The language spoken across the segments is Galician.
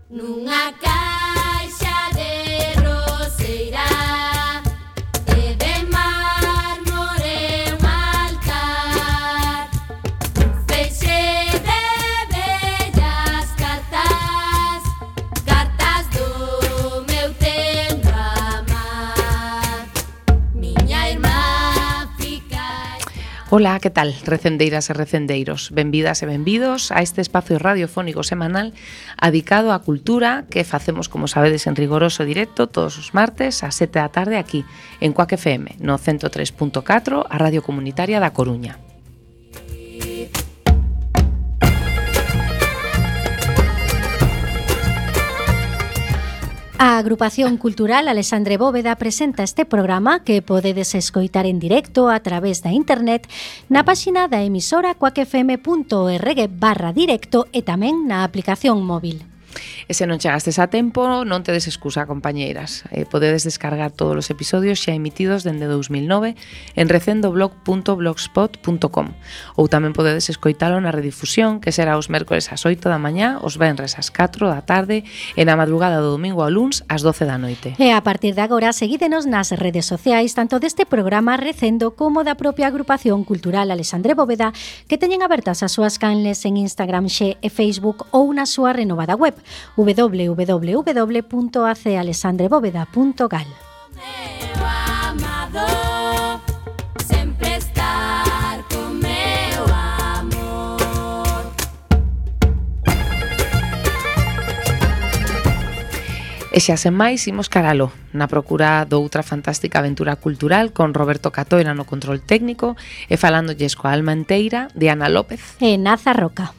Nunha caixa de roseira e de mármore un altar, un feixe de bellas cartas, cartas do meu tendo amar. Miña irmá fica... Ola, que tal, recendeiras e recendeiros? Benvidas e benvidos a este espacio radiofónico semanal adicado á cultura que facemos, como sabedes, en rigoroso directo todos os martes ás 7 da tarde aquí, en Cuac FM, no 103.4, a Radio Comunitaria da Coruña. A Agrupación Cultural Alexandre Bóveda presenta este programa que podedes escoitar en directo a través da internet na páxina da emisora cuacfm.org/directo e tamén na aplicación móvil. E se non chegastes a tempo, non tedes excusa, compañeiras. Podedes descargar todos os episodios xa emitidos dende 2009 en recendoblog.blogspot.com ou tamén podedes escoitalo na redifusión, que será os mércores ás 8 da mañá, os venres ás 4 da tarde e na madrugada do domingo ao luns ás 12 da noite. E a partir de agora, seguídenos nas redes sociais, tanto deste programa Recendo como da propia Agrupación Cultural Alexandre Bóveda, que teñen abertas as súas canles en Instagram, Xe e Facebook ou na súa renovada web www.acealexandrebóveda.gal. Meu amado, sempre estar con meu amor. E xa sen máis, imos caralo, na procura doutra fantástica aventura cultural con Roberto Catoira no control técnico e falándolles coa alma enteira de Ana López e Naza Roca.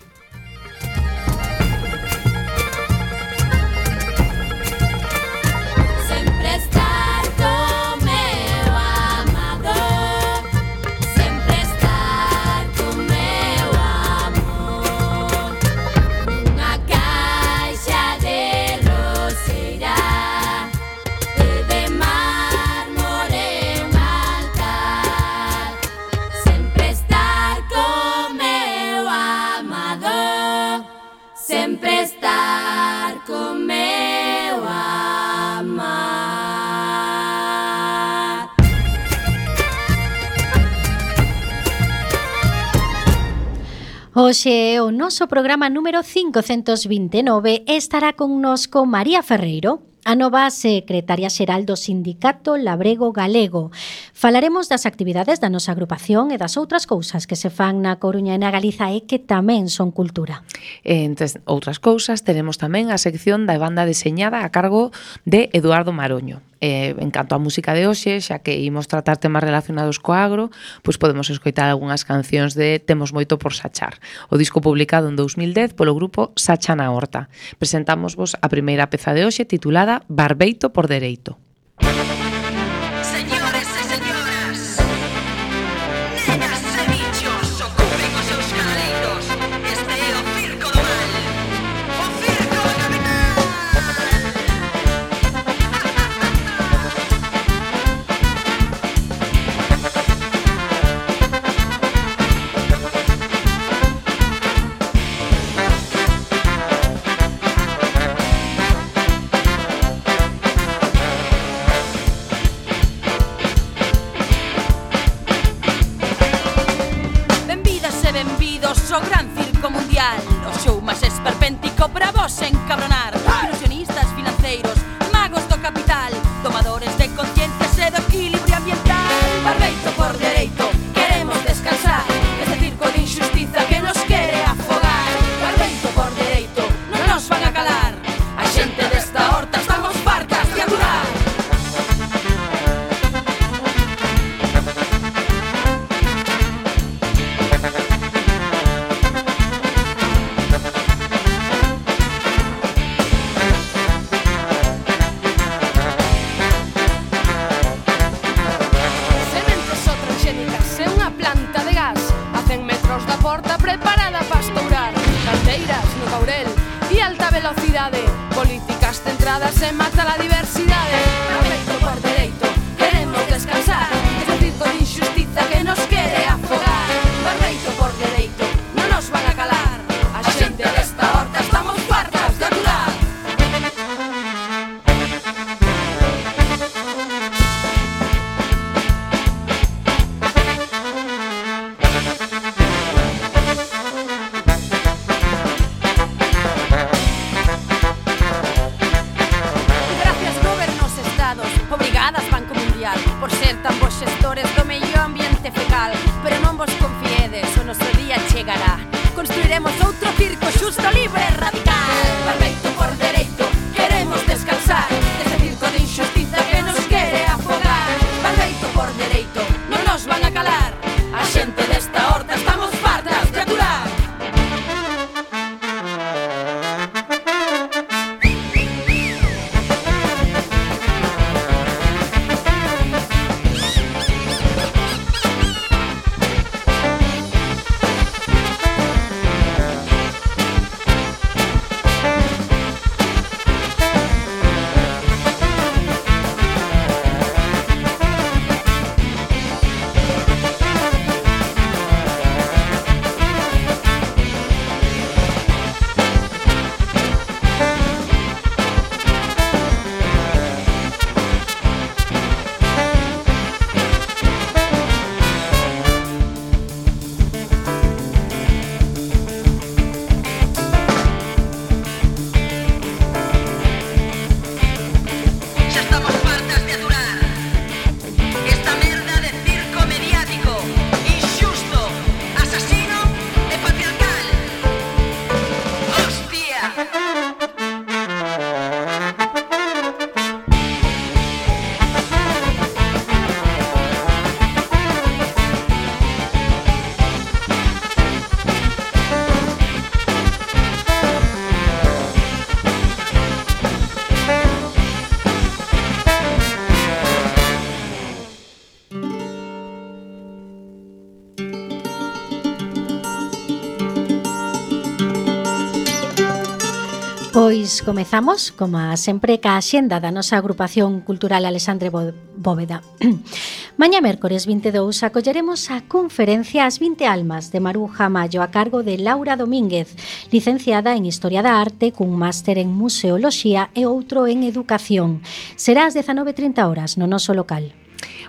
Hoxe é o noso programa número 529 e estará connosco María Ferreiro, a nova secretaria xeral do Sindicato Labrego Galego. Falaremos das actividades da nosa agrupación e das outras cousas que se fan na Coruña e na Galiza e que tamén son cultura. Entre outras cousas, teremos tamén a sección da banda deseñada a cargo de Eduardo Maroño. En canto á música de hoxe, xa que imos tratar temas relacionados co agro, pois podemos escoitar algunhas cancións de Temos moito por sachar, o disco publicado en 2010 polo grupo Sacha na Horta. Presentámosvos a primeira peza de hoxe titulada Barbeito por dereito. Políticas centradas en matar a diversidade. Barbeito por dereito, queremos descansar. Ese circo de injustiza que nos quere afogar. Barbeito por dereito, non nos van a calar. A xente desta horta estamos fartas de aturar. Pois comezamos, como sempre, ca axenda da nosa agrupación cultural Alexandre Bóveda. Mañá mércores 22 acolleremos a conferencia As 20 Almas de Maruja Mayo a cargo de Laura Domínguez, licenciada en Historia da Arte cun máster en Museoloxía e outro en Educación. Será ás 19:30 horas no noso local.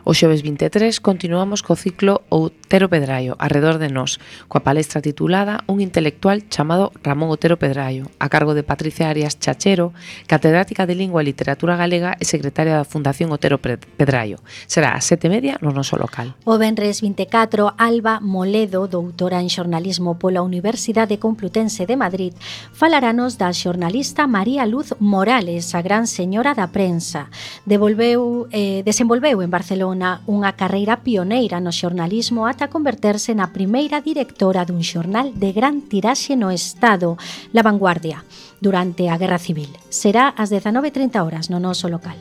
O xoves 23 continuamos co ciclo Otero Pedraio, Arredor de Nós, coa palestra titulada Un intelectual chamado Ramón Otero Pedraio, a cargo de Patricia Arias Chachero, catedrática de Lingua e Literatura Galega e secretaria da Fundación Otero Pedraio. Será ás 7:30 no noso local. O venres 24, Alba Moledo, doutora en xornalismo pola Universidade Complutense de Madrid, falaranos da xornalista María Luz Morales, a gran señora da prensa. Desenvolveu en Barcelona unha carreira pioneira no xornalismo ata converterse na primeira directora dun xornal de gran tiraxe no Estado, La Vanguardia, durante a Guerra Civil. Será ás 19:30 horas no noso local.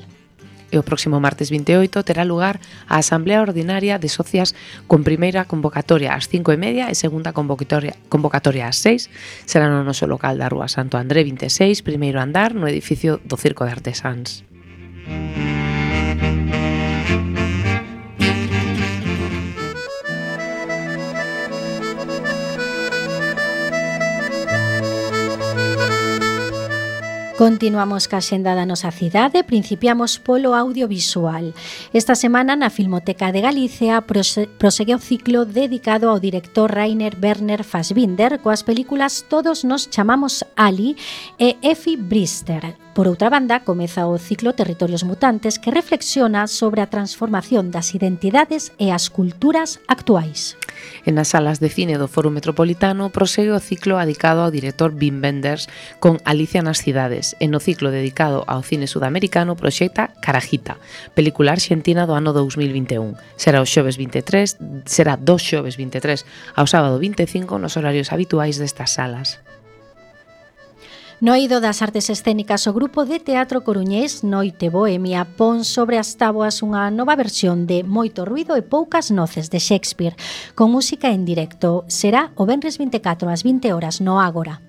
E o próximo martes 28 terá lugar a Asamblea Ordinaria de Socias con primeira convocatoria ás 5:30 e segunda convocatoria ás 6. Será no noso local da Rúa Santo André 26, primeiro andar, no edificio do Circo de Artesáns. Continuamos ca xenda da nosa cidade, principiamos polo audiovisual. Esta semana na Filmoteca de Galicia prosegue o ciclo dedicado ao director Rainer Werner Fassbinder coas películas Todos nos chamamos Ali e Effie Brister. Por outra banda, comeza o ciclo Territorios Mutantes que reflexiona sobre a transformación das identidades e as culturas actuais. En as salas de cine do Foro Metropolitano prosegue o ciclo dedicado ao director Wim Wenders con Alicia nas cidades e no ciclo dedicado ao cine sudamericano proxecta Carajita, película arxentina do ano 2021. Será dos xoves 23 ao sábado 25 nos horarios habituais destas salas. No eido das artes escénicas, o grupo de teatro coruñés Noite Bohemia pon sobre as táboas unha nova versión de Moito ruido e poucas noces de Shakespeare, con música en directo. Será o venres 24 ás 20 horas no Ágora.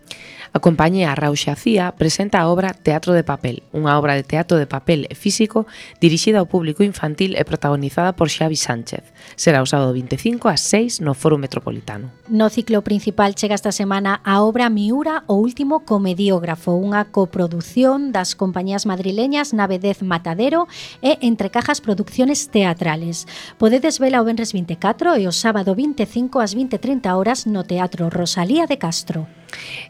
A compañía Rauxa Cía presenta a obra Teatro de Papel, unha obra de teatro de papel e físico dirixida ao público infantil e protagonizada por Xavi Sánchez. Será o sábado 25 ás 6 no Foro Metropolitano. No ciclo principal chega esta semana a obra Miura, o último comediógrafo, unha coproducción das compañías madrileñas Navedez Matadero e Entre Cajas Producciones Teatrales. Podedes vela o venres 24 e o sábado 25 ás 20:30 horas no Teatro Rosalía de Castro.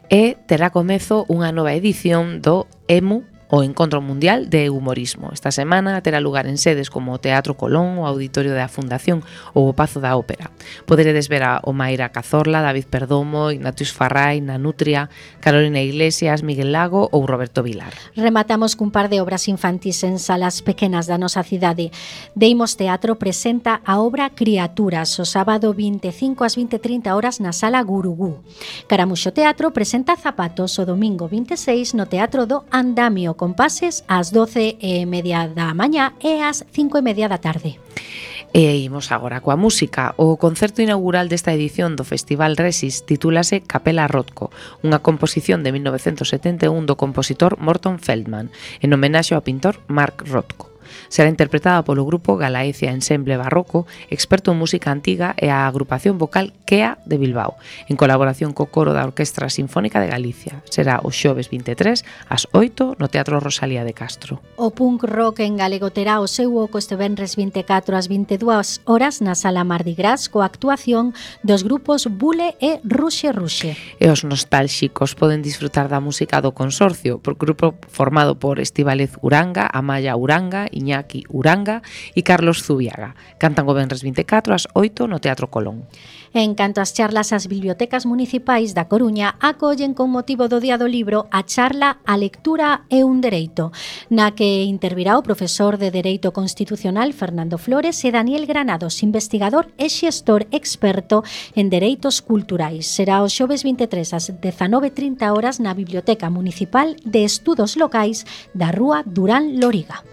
E terá comezo unha nova edición do EMU, o Encontro Mundial de Humorismo. Esta semana terá lugar en sedes como o Teatro Colón, o Auditorio da Fundación ou o Pazo da Ópera. Poderedes ver a Omaira Cazorla, David Perdomo, Ignatius Farrai, Nanutria, Carolina Iglesias, Miguel Lago ou Roberto Vilar. Rematamos cun par de obras infantís en salas pequenas da nosa cidade. Deimos Teatro presenta a obra Criaturas o sábado 25 ás 20:30 horas na Sala Gurugú. Caramuxo Teatro presenta Zapatos o domingo 26 no Teatro do Andamio, con pases ás 12:30 da mañá e ás 5:30 da tarde. E imos agora coa música. O concerto inaugural desta edición do Festival Resis titúlase Capela Rothko, unha composición de 1971 do compositor Morton Feldman, en homenaxe ao pintor Mark Rothko. Será interpretada polo grupo Galaecia Ensemble Barroco, experto en música antiga, e a agrupación vocal Kea de Bilbao, en colaboración co coro da Orquestra Sinfónica de Galicia. Será o xoves 23 ás 8 no Teatro Rosalía de Castro. O punk rock en galego terá o seu oco este venres 24 ás 22 horas na Sala Mardi Gras coa actuación dos grupos Bule e Ruxe Ruxe. E os nostálxicos poden disfrutar da música do Consorcio, por grupo formado por Estíbaliz Uranga, Amaya Uranga, Iñaki Uranga e Carlos Zubiaga. Cantan o venres 24 ás 8 no Teatro Colón. En canto ás charlas, as bibliotecas municipais da Coruña acollen con motivo do Día do Libro a charla A lectura é un dereito, na que intervirá o profesor de Dereito Constitucional Fernando Flores e Daniel Granados, investigador e xestor experto en dereitos culturais. Será o xoves 23 ás 19:30 horas na Biblioteca Municipal de Estudos Locais da Rúa Durán Loriga.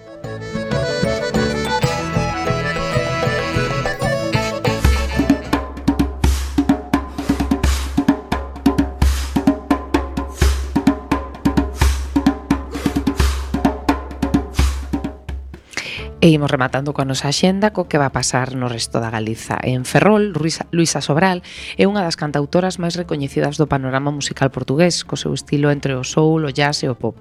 E imos rematando coa nosa axenda co que va a pasar no resto da Galiza. En Ferrol, Luisa Sobral é unha das cantautoras máis recoñecidas do panorama musical portugués, co seu estilo entre o soul, o jazz e o pop.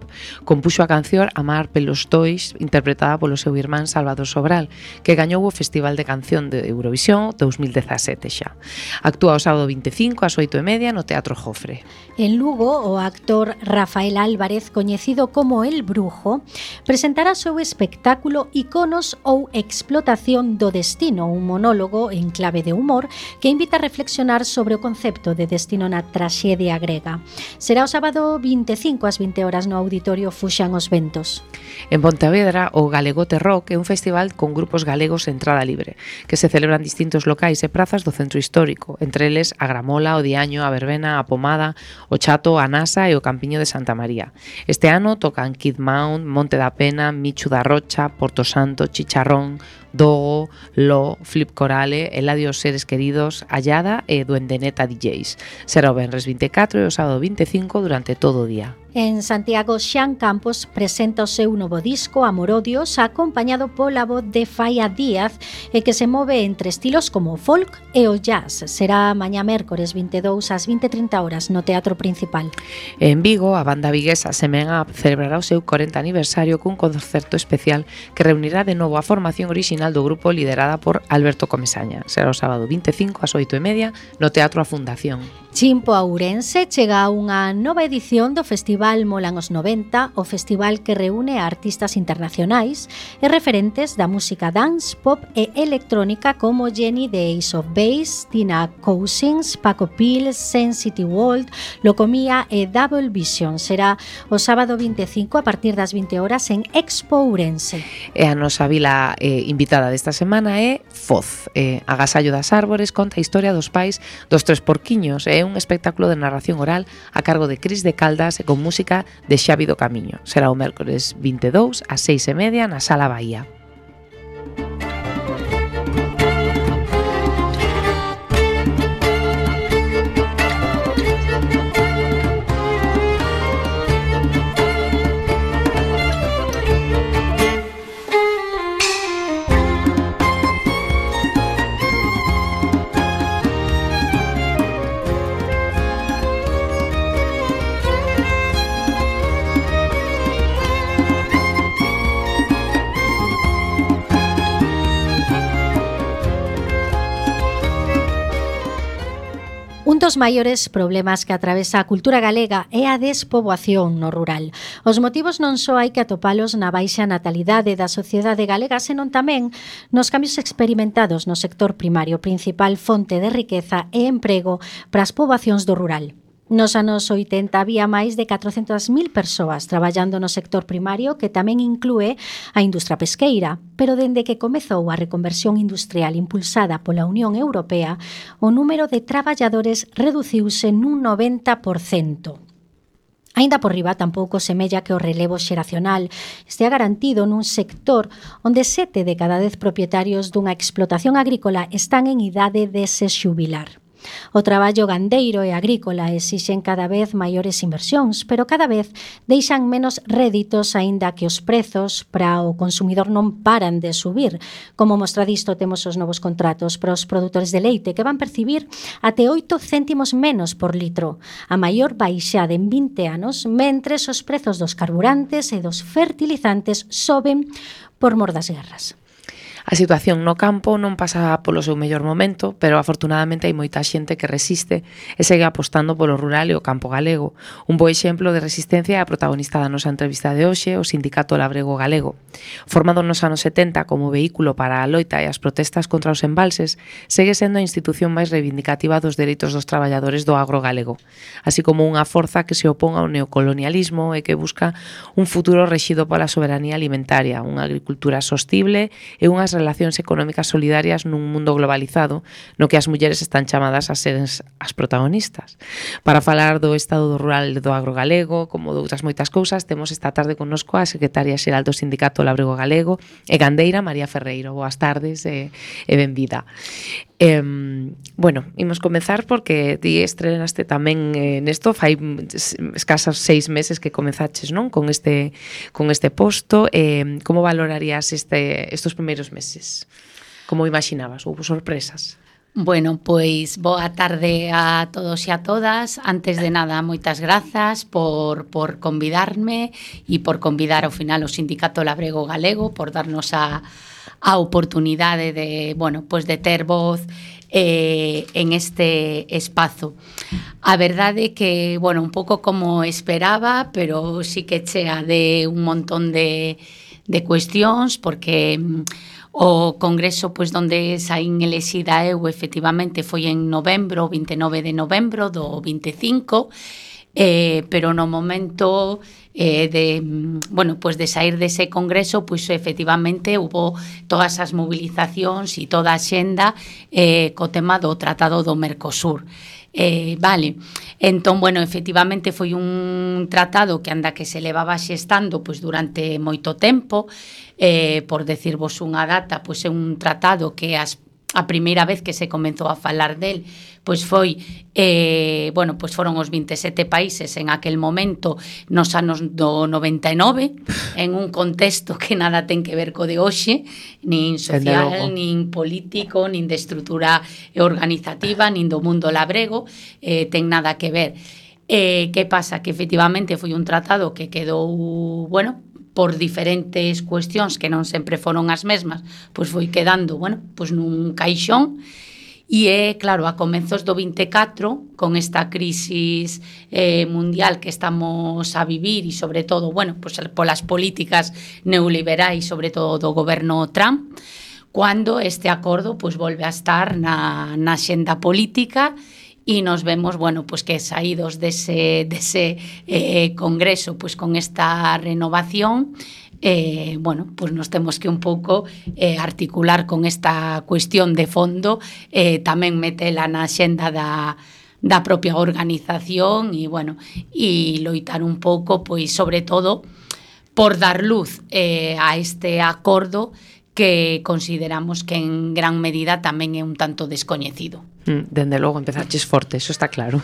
Compuxo a canción Amar pelos dois, interpretada polo seu irmán Salvador Sobral, que gañou o Festival de Canción de Eurovisión 2017 xa. Actúa o sábado 25 ás 8:30 no Teatro Jofre. En Lugo, o actor Rafael Álvarez, coñecido como El Brujo, presentará o seu espectáculo Iconos ou explotación do destino, un monólogo en clave de humor que invita a reflexionar sobre o concepto de destino na traxedia grega. Será o sábado 25 ás 20 horas no Auditorio Fuxan os Ventos. En Pontevedra, o Galegote Rock é un festival con grupos galegos de entrada libre, que se celebran en distintos locais e prazas do centro histórico, entre eles a Gramola, o Diaño, a Verbena, a Pomada, o Chato, a Nasa e o Campiño de Santa María. Este ano tocan Kid Mount, Monte da Pena, Michu da Rocha, Porto Santo, Chicharrón, Dogo, Lo, Flip Corale, Eladio Seres Queridos, Allada e Duendeneta DJs. Será o venres 24 e o sábado 25 durante todo o día. En Santiago, Xan Campos presenta o seu novo disco Amorodios, acompañado pola voz de Faia Díaz, e que se move entre estilos como o folk e o jazz. Será mañá mércores 22 ás 20:30 horas no Teatro Principal. En Vigo, a banda viguesa Semena celebrará o seu 40 aniversario cun concerto especial que reunirá de novo a formación orixinal do grupo liderada por Alberto Comesaña. Será o sábado 25 ás 8:30 no Teatro A Fundación. Chimpo a Ourense chega a unha nova edición do Festival Molan os 90, o festival que reúne a artistas internacionais e referentes da música dance, pop e electrónica como Jenny de Ace of Base, Tina Cousins, Paco Pil, Sensity World, Locomía e Double Vision. Será o sábado 25 a partir das 20 horas en Expo Ourense. E a nosa vila invitada desta semana é Foz. Agasallo das Árbores conta a historia dos pais dos tres porquiños. É un espectáculo de narración oral a cargo de Cris de Caldas e con música de Xavi do Camiño. Será o mércores 22 ás 6:30 na Sala Bahía. Un dos maiores problemas que atravesa a cultura galega é a despoboación no rural. Os motivos non só hai que atopalos na baixa natalidade da sociedade galega, senón tamén nos cambios experimentados no sector primario, principal fonte de riqueza e emprego para as poboacións do rural. Nos anos 80 había máis de 400.000 persoas traballando no sector primario, que tamén inclúe a industria pesqueira, pero dende que comezou a reconversión industrial impulsada pola Unión Europea, o número de traballadores reduciuse nun 90%. Aínda por riba, tampouco semella que o relevo xeracional estea garantido nun sector onde 7 de cada 10 propietarios dunha explotación agrícola están en idade de se xubilar. O traballo gandeiro e agrícola exixen cada vez maiores inversións, pero cada vez deixan menos réditos, aínda que os prezos para o consumidor non paran de subir. Como mostra disto, temos os novos contratos para os produtores de leite, que van percibir até 8 céntimos menos por litro, a maior baixada en 20 anos, mentres os prezos dos carburantes e dos fertilizantes soben por mor das guerras. A situación no campo non pasa polo seu mellor momento, pero afortunadamente hai moita xente que resiste e segue apostando polo rural e o campo galego. Un bo exemplo de resistencia é a protagonista da nosa entrevista de hoxe, o Sindicato Labrego Galego. Formado nos anos 70 como vehículo para a loita e as protestas contra os embalses, segue sendo a institución máis reivindicativa dos dereitos dos traballadores do agro galego, así como unha forza que se opón ao neocolonialismo e que busca un futuro rexido pola soberanía alimentaria, unha agricultura sostible e unhas relacións económicas solidarias nun mundo globalizado no que as mulleres están chamadas a ser as protagonistas. Para falar do estado do rural e do agro galego, como de outras moitas cousas, temos esta tarde connosco a secretaria xeral do Sindicato Labrego Galego e gandeira María Ferreiro. Boas tardes e benvida. Bueno, imos comezar porque ti estrenaste tamén nesto, fai escasas 6 meses que comezaches, non? Con este posto. Como valorarías estos primeiros meses? Como imaginabas? Houve sorpresas? Bueno, pois boa tarde a todos e a todas. Antes de nada, moitas grazas por convidarme e por convidar ao final o Sindicato Labrego Galego, por darnos a oportunidade de, bueno, pues de ter voz en este espazo. A verdade é que, bueno, un pouco como esperaba, pero sí que chea de un montón de cuestións, porque o congreso pois donde saín elexida eu efectivamente foi en novembro, 29 de novembro do 25, pero no momento de sair dese congreso, pois efectivamente hubo todas as movilizacións e toda a xenda co tema do Tratado do Mercosur. Entón, bueno, efectivamente foi un tratado que anda que se levaba xestando pois durante moito tempo. Por decirvos unha data, pois é un tratado que a primeira vez que se comenzou a falar del pois foi, pois foron os 27 países en aquel momento nos anos do 99, en un contexto que nada ten que ver co de hoxe, nin social, nin político, nin de estrutura organizativa, nin do mundo labrego, ten nada que ver. Que pasa? Que efectivamente foi un tratado que quedou, bueno, por diferentes cuestións que non sempre foron as mesmas, pois foi quedando, bueno, pois nun caixón. E claro, a comenzos do 24, con esta crisis mundial que estamos a vivir e sobre todo, bueno, pois polas políticas neoliberais, sobre todo do goberno Trump, cando este acordo pois volve a estar na xenda política e nos vemos, bueno, pois que saídos dese congreso pois con esta renovación, bueno, pois nos temos que un pouco articular con esta cuestión de fondo, tamén metela na xenda da propia organización e, bueno, e loitar un pouco, pois, sobre todo, por dar luz a este acordo que consideramos que en gran medida tamén é un tanto descoñecido. Dende logo empezaches forte, eso está claro.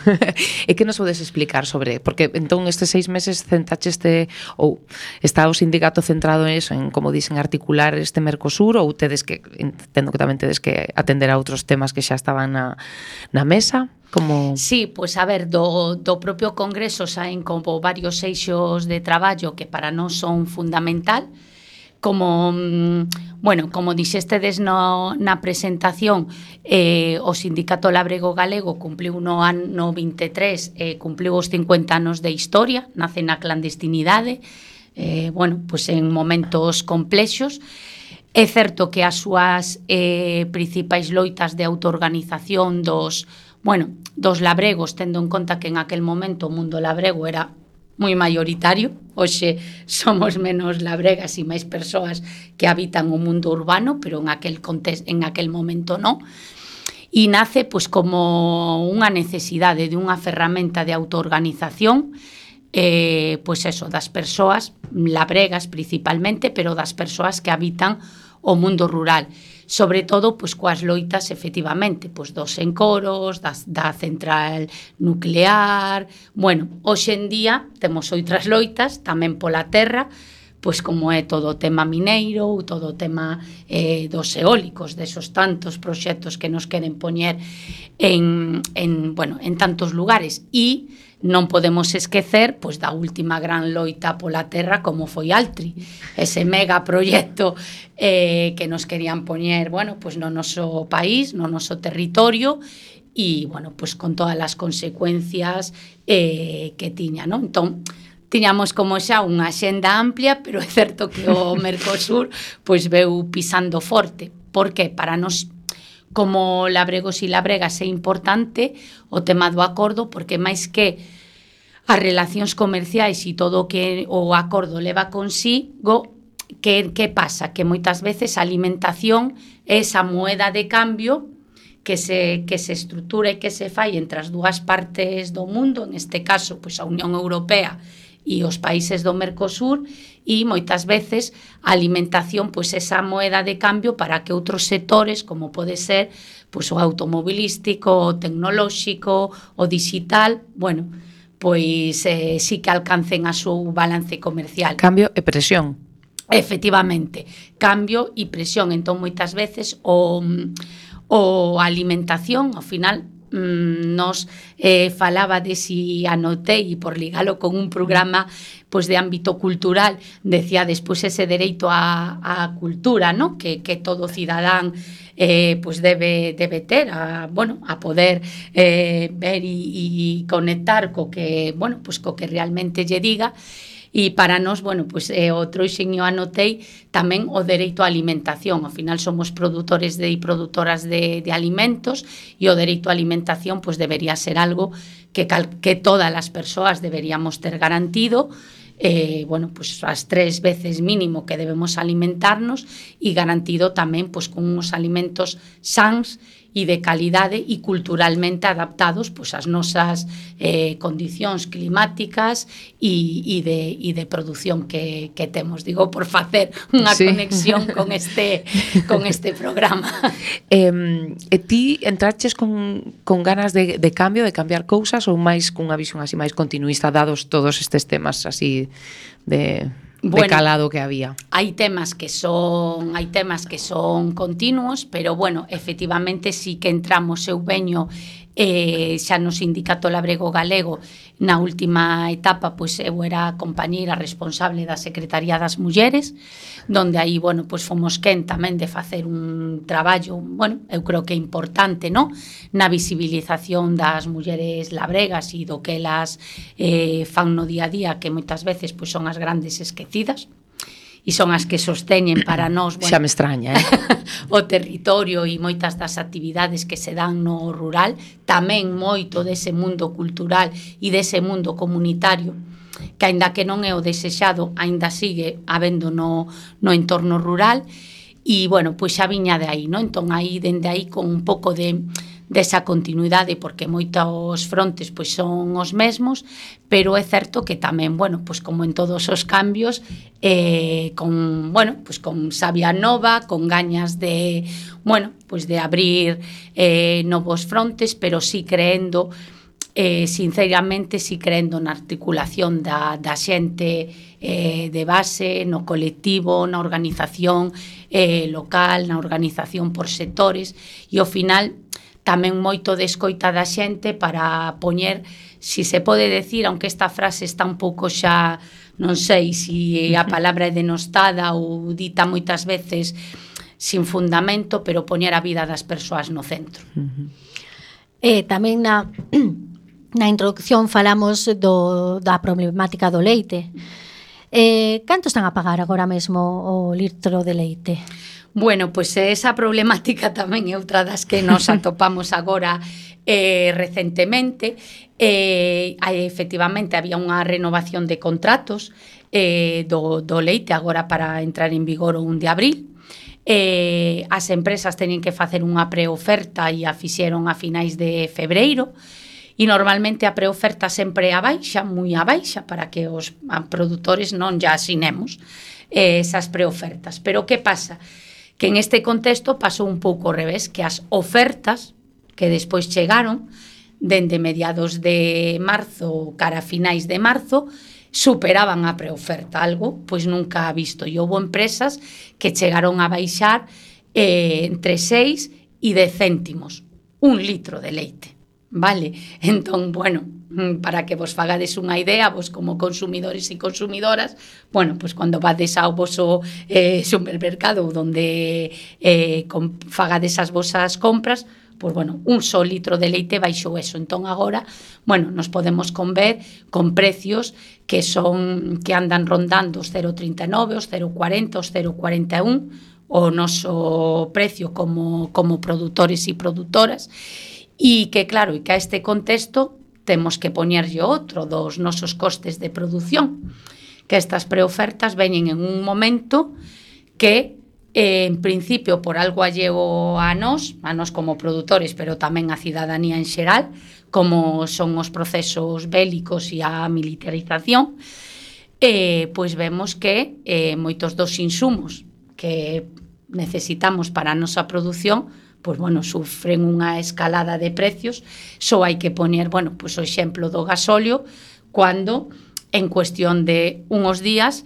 E que nos podes explicar sobre, porque entón estes 6 meses centacheste ou está o sindicato centrado en eso, en como dicen articular este Mercosur, ou tedes que, entendo que tamén tedes que atender a outros temas que xa estaban na mesa? Como... Sí, pois a ver, do propio congreso saen como varios eixos de traballo que para nós son fundamental. Como, bueno, como dixestedes na presentación, o Sindicato Labrego Galego cumpliu no ano 23, cumpliu os 50 anos de historia, nace na clandestinidade, bueno, pois en momentos complexos. É certo que as súas principais loitas de autoorganización dos labregos, tendo en conta que en aquel momento o mundo labrego era moi maioritario, hoxe somos menos labregas e máis persoas que habitan o mundo urbano, pero en aquel momento non. E nace pois como unha necesidade de unha ferramenta de autoorganización, pois eso, das persoas labregas principalmente, pero das persoas que habitan o mundo rural. Sobre todo, pois, coas loitas, efectivamente, pois, dos encoros, da central nuclear. Bueno, hoxe en día temos outras loitas, tamén pola terra, pois como é todo o tema mineiro, ou todo o tema dos eólicos, desos tantos proxectos que nos queren poñer en tantos lugares. E non podemos esquecer pois da última gran loita pola terra como foi Altri, ese mega proxecto que nos querían poñer, bueno, pois no noso país, no noso territorio e, bueno, pois con todas as consecuencias que tiña, non? Entón, tiñamos como xa unha xenda amplia, pero é certo que o Mercosur pois veu pisando forte. Por que? Para nos como labregos e labregas é importante o tema do acordo, porque máis que as relacións comerciais e todo o que o acordo leva consigo, que pasa? Que moitas veces a alimentación é esa moeda de cambio que se estrutura e que se fai entre as dúas partes do mundo, neste caso, pois a Unión Europea e os países do Mercosur, e moitas veces a alimentación pois esa moeda de cambio para que outros sectores, como pode ser pois o automobilístico, o tecnolóxico, o digital, bueno, pois sí que alcancen a súa balance comercial. Cambio e presión. Efectivamente, cambio e presión. Entón, moitas veces, o alimentación, ao final, nos falaba de si anotei, e por ligalo con un programa pois de ámbito cultural, decía despois ese dereito á cultura, ¿no? que todo cidadán pois debe ter a poder ver e conectar co que, pois co que realmente lle diga. E para nós, pois o trouxen e o anotei tamén o dereito á alimentación. Ao final somos produtores e produtoras de alimentos, e o dereito á alimentación pois debería ser algo que todas as persoas deberíamos ter garantido, pois as 3 veces mínimo que debemos alimentarnos, e garantido tamén pois con uns alimentos sans e de calidade e culturalmente adaptados pois ás nosas condicións climáticas e de produción que temos. Digo, por facer unha conexión con este programa. E ti entraches con ganas de cambio, de cambiar cousas, ou máis cunha visión así máis continuista, dados todos estes temas así de calado que había? Hai temas que son continuos, pero efectivamente sí que entramos, eu veño xa no Sindicato Labrego Galego na última etapa, pois eu era compañeira responsable da Secretaría das Mulleres, donde aí, pois fomos quen tamén de facer un traballo, eu creo que importante, no? Na visibilización das mulleres labregas e do que elas fan no día a día, que moitas veces pois son as grandes esquecidas, e son as que sosteñen para nós, xa me extraña, o territorio e moitas das actividades que se dan no rural, tamén moito dese mundo cultural e dese mundo comunitario, que aínda que non é o desexado, aínda sigue habendo no entorno rural, e, pois xa viña de aí, non? Entón, aí, dende aí, con un pouco desa continuidade, porque moitos frontes pois son os mesmos, pero é certo que tamén, pois como en todos os cambios, con sabia nova, con gañas de, pois de abrir novos frontes, pero sí creendo, sinceramente, sí creendo na articulación da xente de base, no colectivo, na organización local, na organización por sectores, e ao final tamén moito de escoita da xente para poñer, si se pode decir, aunque esta frase está un pouco xa, non sei se a palabra é denostada ou dita moitas veces sin fundamento, pero poñer a vida das persoas no centro. Tamén na introducción falamos da problemática do leite. Canto están a pagar agora mesmo o litro de leite? Pois esa problemática tamén é outra das que nos atopamos agora recentemente. Efectivamente, había unha renovación de contratos do leite agora para entrar en vigor o 1 de abril. As empresas teñen que facer unha preoferta e a fixeron a finais de febreiro, e normalmente a preoferta sempre é a baixa, moi a baixa, para que os produtores non ya asinemos esas preofertas. Pero que pasa? Que en este contexto pasou un pouco ao revés, que as ofertas que despois chegaron dende mediados de marzo cara a finais de marzo superaban a preoferta, algo pois nunca ha visto, e houve empresas que chegaron a baixar entre 6 e 10 céntimos un litro de leite, vale? Entón, para que vos fagades unha idea, vos como consumidores e consumidoras, pois cando vades ao voso supermercado onde fagades as vosas compras, pois, un só litro de leite baixou eso. Entón, agora, nos podemos conver con precios que andan rondando os 0,39, os 0,40, os 0,41, o noso precio como produtores e produtoras, e que, claro, e que a este contexto temos que poñerlle outro dos nosos costes de produción, que estas preofertas veñen en un momento que, en principio, por algo allego a nós como produtores, pero tamén a cidadanía en xeral, como son os procesos bélicos e a militarización, pois vemos que moitos dos insumos que necesitamos para a nosa produción, pois, bueno, sufren unha escalada de precios. Só hai que poñer, bueno, pois o exemplo do gasóleo, cando en cuestión de uns días,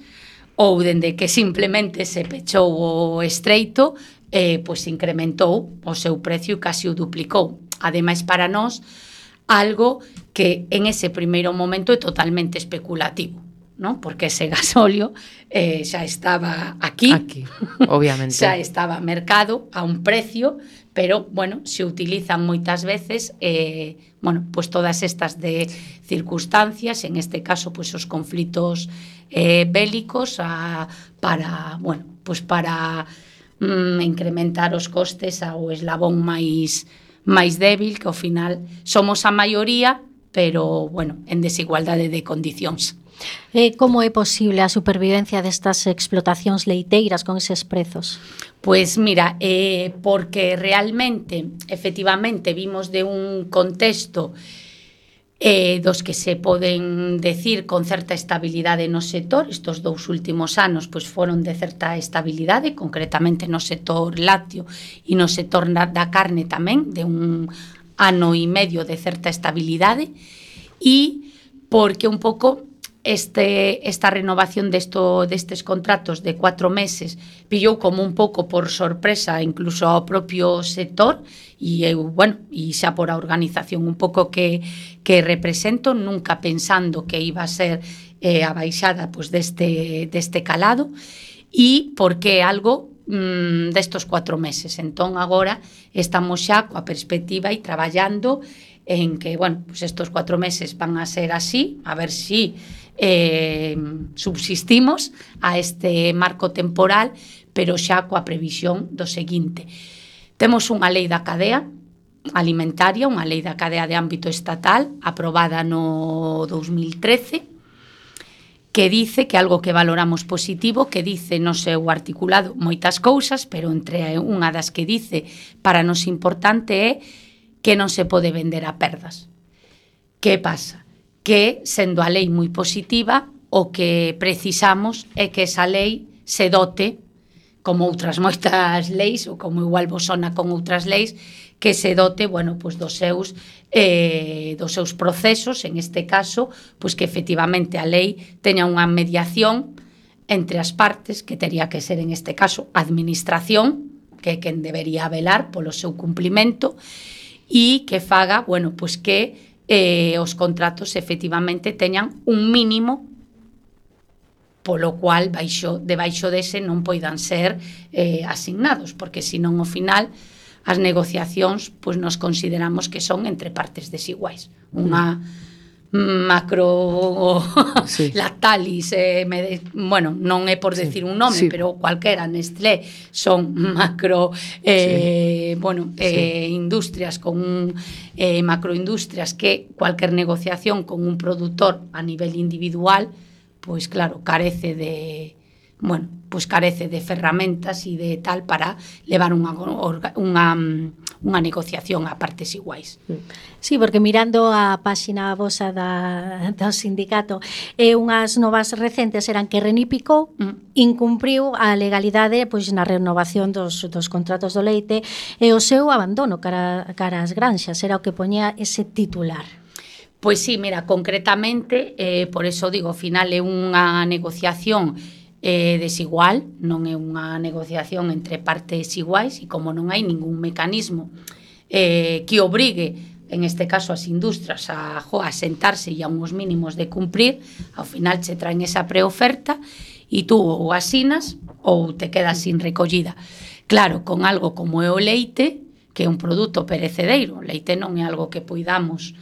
ou dende que simplemente se pechou o estreito, pois incrementou o seu precio e casi o duplicou. Ademais, para nós, algo que en ese primeiro momento é totalmente especulativo, ¿no? Porque ese gasóleo xa estaba aquí, obviamente. xa estaba mercado a un precio, pero, bueno, se utilizan moitas veces, bueno, pues todas estas de circunstancias, en este caso, pues os conflitos bélicos, para, bueno, pues para incrementar os costes ao eslabón máis débil, que ao final somos a maioría, pero, bueno, en desigualdade de condicións. Como é posible a supervivencia destas explotacións leiteiras con eses prezos? Pois mira, porque realmente, efectivamente, vimos de un contexto dos que se poden decir con certa estabilidade no sector. Estos 2 últimos anos pois foron de certa estabilidade, concretamente no sector lácteo e no sector da carne tamén, de un ano e medio de certa estabilidade, e porque un pouco esta renovación destes contratos de 4 meses pillou como un pouco por sorpresa incluso ao propio sector, e eu, bueno, e xa por a organización un pouco que represento, nunca pensando que iba a ser a baixada pois deste calado, e porque é algo destos 4 meses. Entón agora estamos xa coa perspectiva e traballando en que, bueno, pues estos 4 meses van a ser así, a ver si subsistimos a este marco temporal, pero xa coa previsión do seguinte. Temos unha lei da cadea alimentaria, unha lei da cadea de ámbito estatal, aprobada no 2013, que dice que algo que valoramos positivo, que dice no seu articulado moitas cousas, pero entre unha das que dice para nos importante é que non se pode vender a perdas. Que pasa? Que, sendo a lei moi positiva, o que precisamos é que esa lei se dote, como outras moitas leis, ou como igual vos sona con outras leis, que se dote, bueno, pues dos seus procesos, en este caso, pues que efectivamente a lei teña unha mediación entre as partes, que tería que ser, en este caso, a administración, que é quen debería velar polo seu cumplimento, e que faga, bueno, pues que os contratos efectivamente teñan un mínimo polo cual debaixo dese non poidan ser asignados, porque senón ao final as negociacións pois nos consideramos que son entre partes desiguais. Unha macro sí. Lactalis, bueno, non é por decir un nome, sí. Pero cualquera, Nestlé, son macro sí. Bueno, sí. Industrias con macroindustrias que cualquier negociación con un productor a nivel individual, pois claro, carece de ferramentas e de tal para levar unha negociación a partes iguais. Sí, porque mirando a páxina vosa do sindicato, unhas novas recentes eran que Renipicou incumpriu a legalidade pois na renovación dos contratos do leite e o seu abandono cara ás granxas, era o que poñía ese titular. Pois sí, mira, concretamente, por eso digo, ao final é unha negociación desigual, non é unha negociación entre partes iguais, e como non hai ningún mecanismo que obrigue, en este caso as industrias, a sentarse e a uns mínimos de cumprir, ao final che traen esa preoferta e tú ou asinas ou te quedas sin recollida. Claro, con algo como é o leite, que é un produto perecedereiro, o leite non é algo que poidamos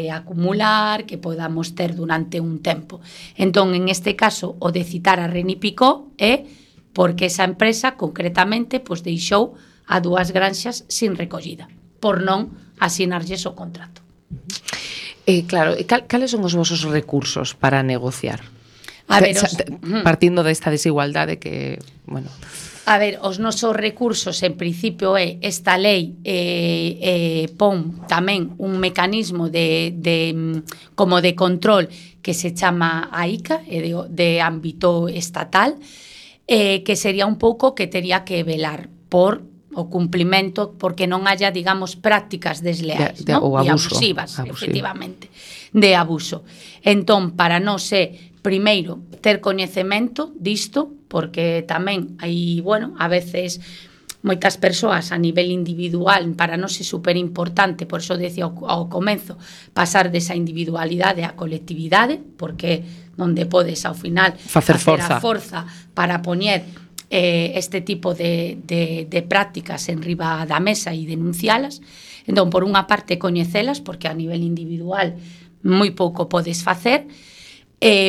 acumular, que podamos ter durante un tempo. Entón, en este caso, o de citar a Renipicou é porque esa empresa, concretamente, pois deixou a 2 granxas sin recollida, por non asinarlles o contrato. Claro, cales son os vosos recursos para negociar? A ver, partindo desta desigualdade que, bueno... A ver, os nosos recursos, en principio, esta lei pon tamén un mecanismo como de control que se chama AICA, de ámbito estatal, que sería un pouco que tería que velar por o cumplimento, porque non haya, digamos, prácticas desleais, ¿no? Ou abuso, e abusivas, efectivamente, de abuso. Entón, para non ser, primeiro, ter coñecemento disto, porque tamén hai, bueno, a veces moitas persoas a nivel individual, para nós é super importante, por iso decía ao comezo, pasar desa individualidade á colectividade, porque onde podes ao final facer a forza para poñer este tipo de prácticas en riba da mesa e denuncialas. Entón, por unha parte, coñecelas, porque a nivel individual moi pouco podes facer,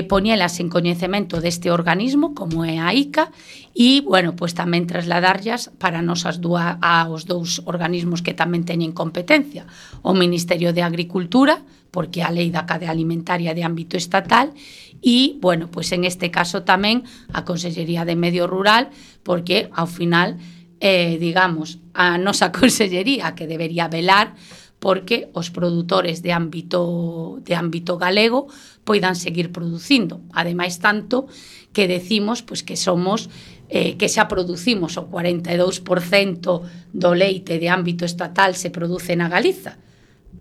poñelas en coñecemento deste organismo, como é a ICA, e, bueno, pues tamén trasladarllas para aos dous organismos que tamén teñen competencia, o Ministerio de Agricultura, porque a lei da cadea alimentaria de ámbito estatal, e, bueno, pues en este caso tamén a Consellería de Medio Rural, porque, ao final, digamos, a nosa Consellería que debería velar porque os produtores de ámbito galego poidan seguir producindo. Ademais, tanto que decimos pues, que somos que xa producimos o 42% do leite de ámbito estatal se produce na Galiza.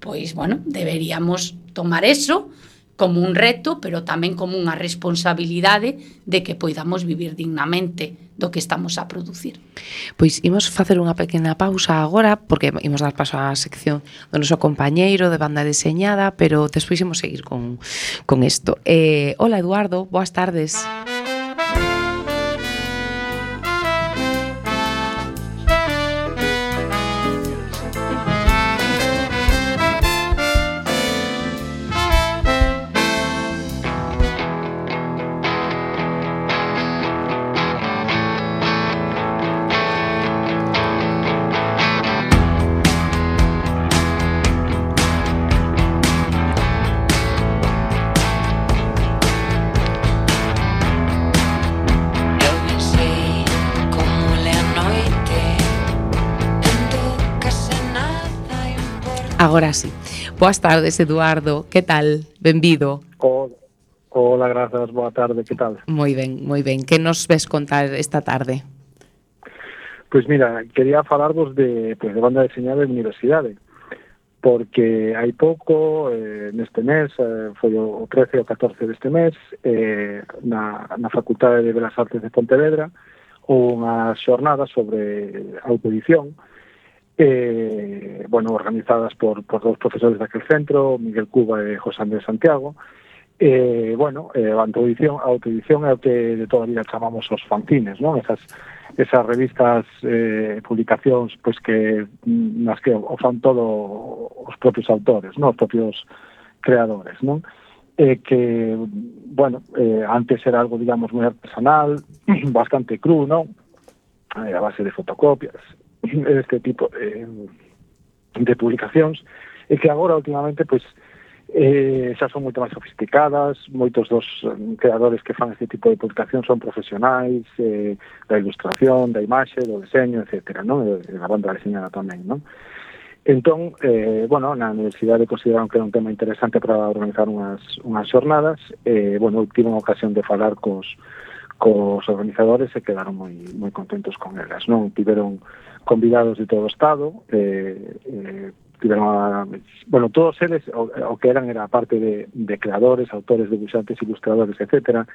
Pois, bueno, deberíamos tomar eso como un reto, pero tamén como unha responsabilidade de que poidamos vivir dignamente do que estamos a producir. Pois imos facer unha pequena pausa agora, porque imos dar paso á sección do noso compañeiro de banda deseñada, pero despois imos seguir con isto. Hola, Eduardo, boas tardes. Agora sí. Boas tardes, Eduardo. Que tal? Benvido. Hola, grazas. Boa tarde. Que tal? Moi ben, moi ben. Que nos ves contar esta tarde? Pois mira, quería falarvos de banda deseñada de universidade, porque hai pouco, neste mes, foi o 13 ou 14 deste mes, na Facultade de Belas Artes de Pontevedra, houve unha xornada sobre autoedición, organizadas por dous profesores daquel centro, Miguel Cuba e José Andrés Santiago. A autoedición é o que de toda a vida chamamos os fanzines, non? Esas revistas, publicacións, pois que nas que o fan todo os propios autores, non? Os propios creadores, non? Antes era algo, digamos, moi artesanal, bastante cru, non? A base de fotocopias, este tipo de publicacións, e que agora, últimamente, pois, xa son moito máis sofisticadas. Moitos dos creadores que fan este tipo de publicacións son profesionais da ilustración, da imaxe, do deseño, etcétera, non? E da banda deseñada tamén, non? Entón, na universidade consideraron que era un tema interesante para organizar unhas xornadas. Tiven a ocasión de falar cos organizadores e quedaron moi contentos con elas, non? Tiveron convidados de todo o estado, tiveron todos eles, o que eran era parte de creadores, autores, debuxantes, ilustradores, etcétera.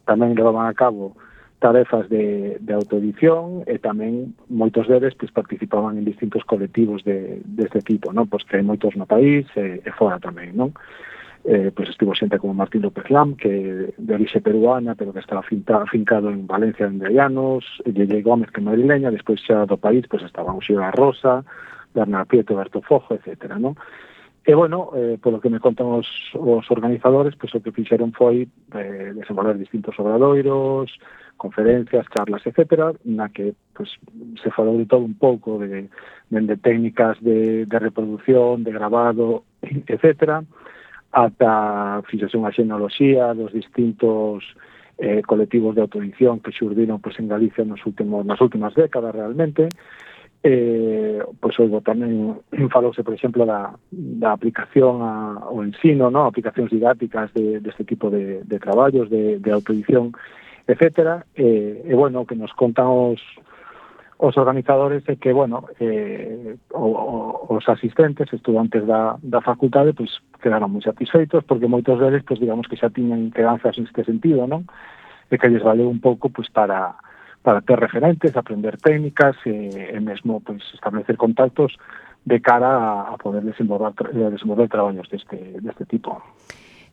Tamén levaban a cabo tarefas de autoedición e tamén moitos deles participaban en distintos colectivos deste tipo, non? Pois que hai moitos no país e fora tamén, non? Estivo xente como Martín López Lam, que de orixe peruana, pero que estaba afincado en Valencia en anos, Yeye Gómez, que é madrileña. Despois xa do país estaban Uxía Rosa, Bernard Prieto, Berto Fojo, etcétera, non? Polo que me contan os organizadores, o que fixeron foi desenvolver distintos obradoiros, conferencias, charlas, etcétera, na que se falou de todo un pouco, de técnicas de reproducción, de grabado, etcétera, ata fixose unha xenealoxía dos distintos colectivos de autoedición que xurdiron pois, en Galicia nas últimas décadas realmente. Pois oigo tamén falouse, por exemplo, da aplicación ao ensino, ¿no? Aplicacións didácticas deste tipo de traballos, de autoedición, etcétera. Bueno, que nos contan os organizadores é que, bueno, os asistentes, estudantes da facultade, pois quedaron moi satisfeitos porque moitos deles, pois digamos que xa tiñan quedanzas neste sentido, non? E que lles valeu un pouco pois para ter referentes, aprender técnicas e mesmo pois establecer contactos de cara a poder desenvolver traballos deste tipo.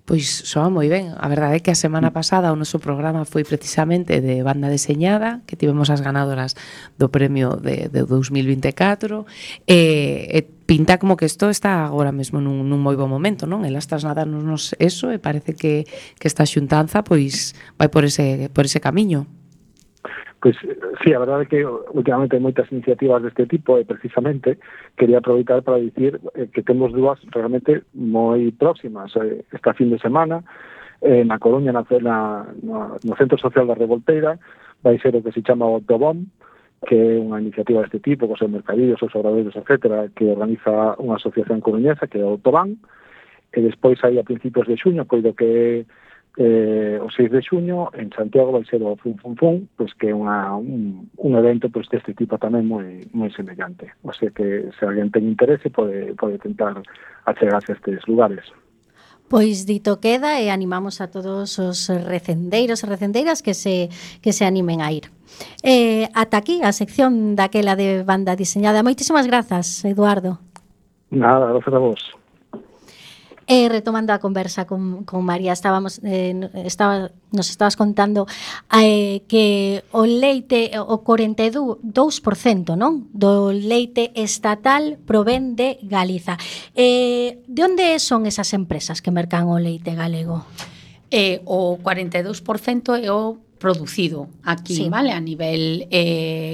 Pois soa moi ben. A verdade é que a semana pasada o noso programa foi precisamente de banda deseñada, que tivemos as ganadoras do premio de 2024, e pinta como que isto está agora mesmo nun moi bo momento, non? Elas trasladarnos eso e parece que esta xuntanza pois vai por ese camiño. Pois, sí, a verdade é que últimamente hai moitas iniciativas deste tipo e precisamente quería aproveitar para dicir que temos dúas realmente moi próximas. Esta fin de semana, na Coruña, no Centro Social da Revolteira, vai ser o que se chama o Autobom, que é unha iniciativa deste tipo, cos mercadillos, os obradoiros, etcétera, que organiza unha asociación coruñesa que é o Autobán, e despois aí a principios de xuño, coido que o 6 de xuño en Santiago vai ser o Fun Fun Fun, pois que é un evento pois deste tipo tamén moi semellante. O sea que se alguén ten interese pode tentar achegarse a estes lugares. Pois dito queda e animamos a todos os recendeiros e recendeiras que se animen a ir. Ata aquí a sección daquela de banda diseñada. Moitísimas grazas, Eduardo. Nada, gracias a vos. Retomando a conversa con María, nos estabas contando que o leite, o 42%, non? Do leite estatal provén de Galiza. De onde son esas empresas que mercan o leite galego? O 42% é o producido aquí, sí, vale, a nivel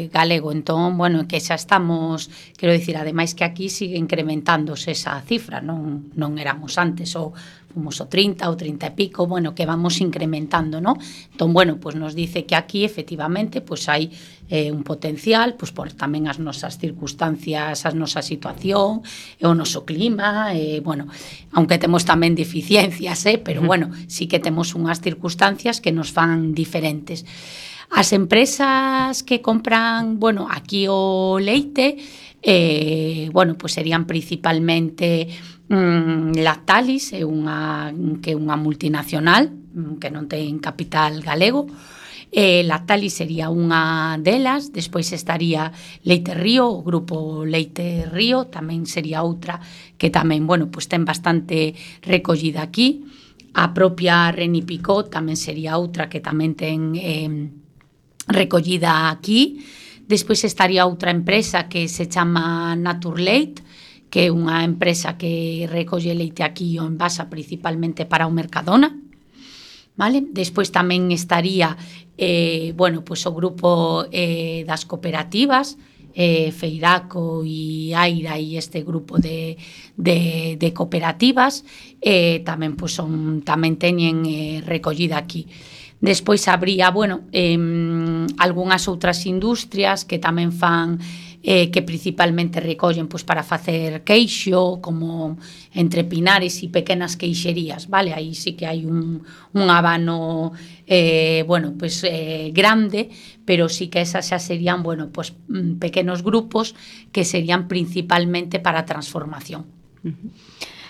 galego. Entón, bueno, que xa estamos, quero dicir, ademais que aquí sigue incrementándose esa cifra, non éramos antes fomos o 30 ou 30 e pico, bueno, que vamos incrementando, non? Entón, bueno, pues nos dice que aquí efectivamente pues hai un potencial, pues por tamén as nosas circunstancias, a nosa situación, o noso clima, bueno, aunque temos tamén deficiencias, pero bueno, sí que temos unhas circunstancias que nos fan diferentes. As empresas que compran, bueno, aquí o leite, bueno, pues serían principalmente Lactalis, que é unha multinacional que non ten capital galego. Lactalis sería unha delas, despois estaría Leite Río, o grupo Leite Río, tamén sería outra que tamén, bueno, pues ten bastante recollida aquí. A propia Reni Picot tamén sería outra que tamén ten recollida aquí. Despois estaría outra empresa que se chama Naturleite, que é unha empresa que recolle leite aquí o envasa principalmente para o Mercadona, vale? Despois tamén estaría bueno, pues o grupo das cooperativas, Feiraco e Aira e este grupo de cooperativas, tamén pues tamén teñen recollida aquí. Despois habría, bueno, algunhas outras industrias que tamén fan que principalmente recollen pues, para facer queixo, como entre Pinares e pequenas queixerías, vale? Aí sí que hai un abano bueno, pues, grande, pero sí que esas xa serían, bueno, pues, pequenos grupos que serían principalmente para transformación.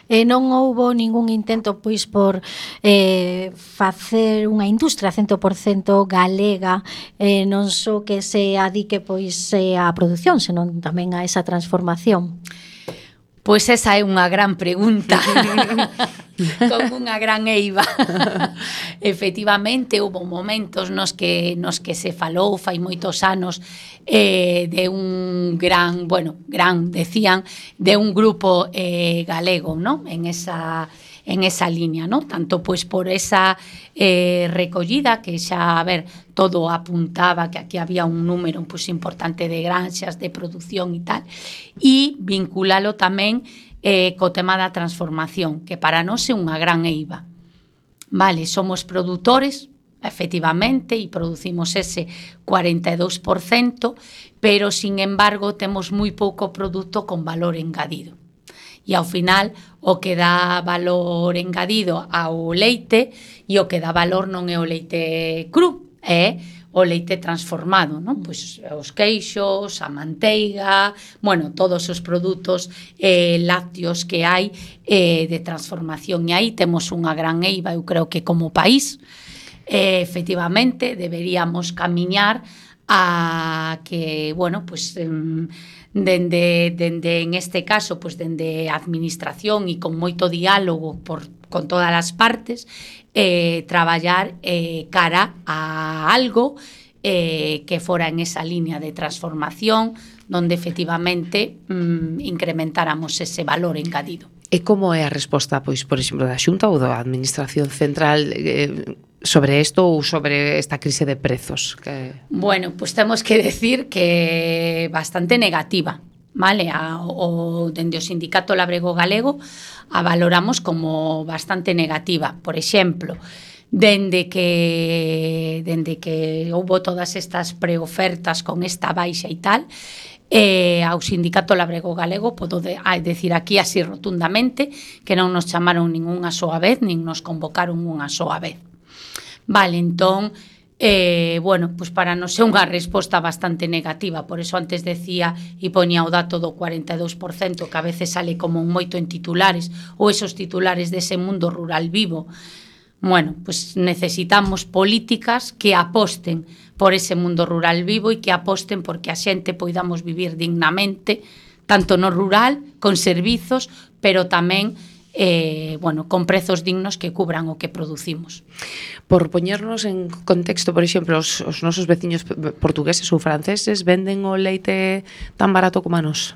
Non houbo ningún intento pois por facer unha industria 100% galega, non só que se adique pois á produción, senón tamén a esa transformación. Pois esa é unha gran pregunta con unha gran eiva. Efectivamente, houve momentos nos que se falou fai moitos anos de un gran, decían, de un grupo galego, ¿no? En esa línea, ¿no? Tanto pois por esa recollida que xa, a ver, todo apuntaba que aquí había un número pues, importante de granxas, de producción e tal, e vinculalo tamén co tema da transformación, que para nós é unha gran eiva. Vale, somos produtores, efectivamente, e producimos ese 42%, pero, sin embargo, temos moi pouco produto con valor engadido. E, ao final, o que dá valor engadido ao leite e o que dá valor non é o leite cru, é o leite transformado, non? Pois os queixos, a manteiga, bueno, todos os produtos lácteos que hai de transformación. E aí temos unha gran eiva, eu creo que como país, efectivamente, deberíamos camiñar a que, bueno, pues dende en este caso, pues dende a administración e con moito diálogo con todas as partes, traballar cara a algo que fora en esa línea de transformación donde efectivamente incrementáramos ese valor engadido. E como é a resposta, pois, por exemplo, da Xunta ou da Administración Central sobre isto ou sobre esta crise de prezos? Bueno, pues temos que decir que bastante negativa, vale? Dende o Sindicato Labrego Galego a valoramos como bastante negativa. Por exemplo, dende que houbo todas estas preofertas con esta baixa e tal, ao Sindicato Labrego Galego podo decir aquí así rotundamente que non nos chamaron ningunha soa vez, nin nos convocaron unha soa vez. Vale, entón, bueno, pues para nos é unha resposta bastante negativa, por eso antes decía e poñía o dato do 42%, que a veces sale como moito en titulares, ou esos titulares dese mundo rural vivo. Bueno, pues necesitamos políticas que aposten por ese mundo rural vivo e que aposten porque a xente poidamos vivir dignamente, tanto no rural, con servizos, pero tamén bueno, con prezos dignos que cubran o que producimos. Por poñernos en contexto, por exemplo, os nosos veciños portugueses ou franceses venden o leite tan barato como a nós?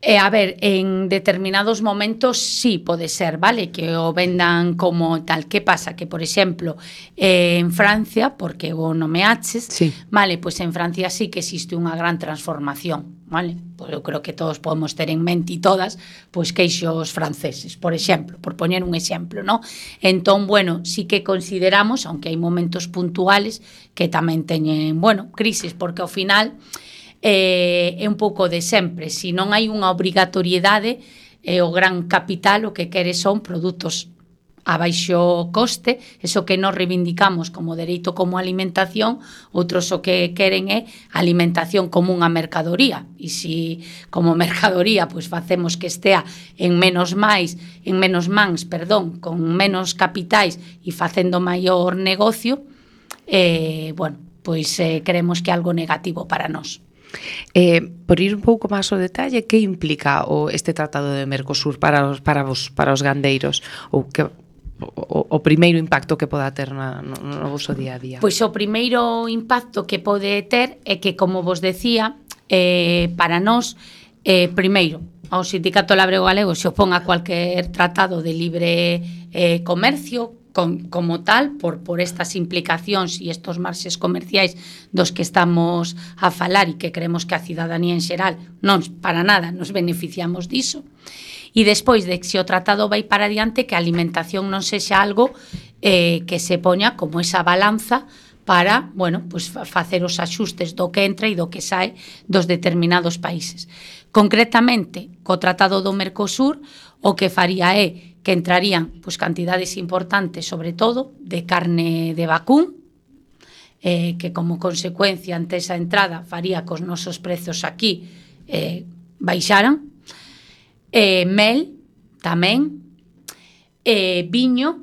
A ver, en determinados momentos sí pode ser, vale, que o vendan como tal. Que pasa? Que, por exemplo, en Francia, porque o nomeaches, sí, vale, pois en Francia sí que existe unha gran transformación, vale? Pois eu creo que todos podemos ter en mente e todas, pois queixos franceses, por exemplo, por poñer un exemplo, ¿no? Entón, bueno, sí que consideramos, aunque hai momentos puntuales que tamén teñen, bueno, crisis, porque ao final é un pouco de sempre. Se non hai unha obrigatoriedade, o gran capital o que quere son produtos a baixo coste, eso que nos reivindicamos como dereito como alimentación, outros o que queren é alimentación como unha mercadoría, e se como mercadoría pois facemos que estea en menos mans, con menos capitais e facendo maior negocio, bueno, pois creemos que é algo negativo para nós. Por ir un pouco máis ao detalle, que implica este tratado de Mercosur para os gandeiros, ou que o primeiro impacto que poda ter no vosso día a día? Pois o primeiro impacto que pode ter é que, como vos decía, para nós, primeiro, ao Sindicato Labrego Galego se opón a cualquier tratado de libre comercio como tal, por estas implicacións e estos marxes comerciais dos que estamos a falar e que creemos que a cidadanía en xeral non para nada nos beneficiamos diso. E despois de que se o tratado vai para adiante, que a alimentación non sexa algo que se poña como esa balanza para, bueno, pues facer os axustes do que entra e do que sae dos determinados países. Concretamente, co tratado do Mercosur, o que faría é que entrarían pues, cantidades importantes, sobre todo, de carne de vacún, que como consecuencia ante esa entrada faría que os nosos prezos aquí baixaran, mel tamén, viño,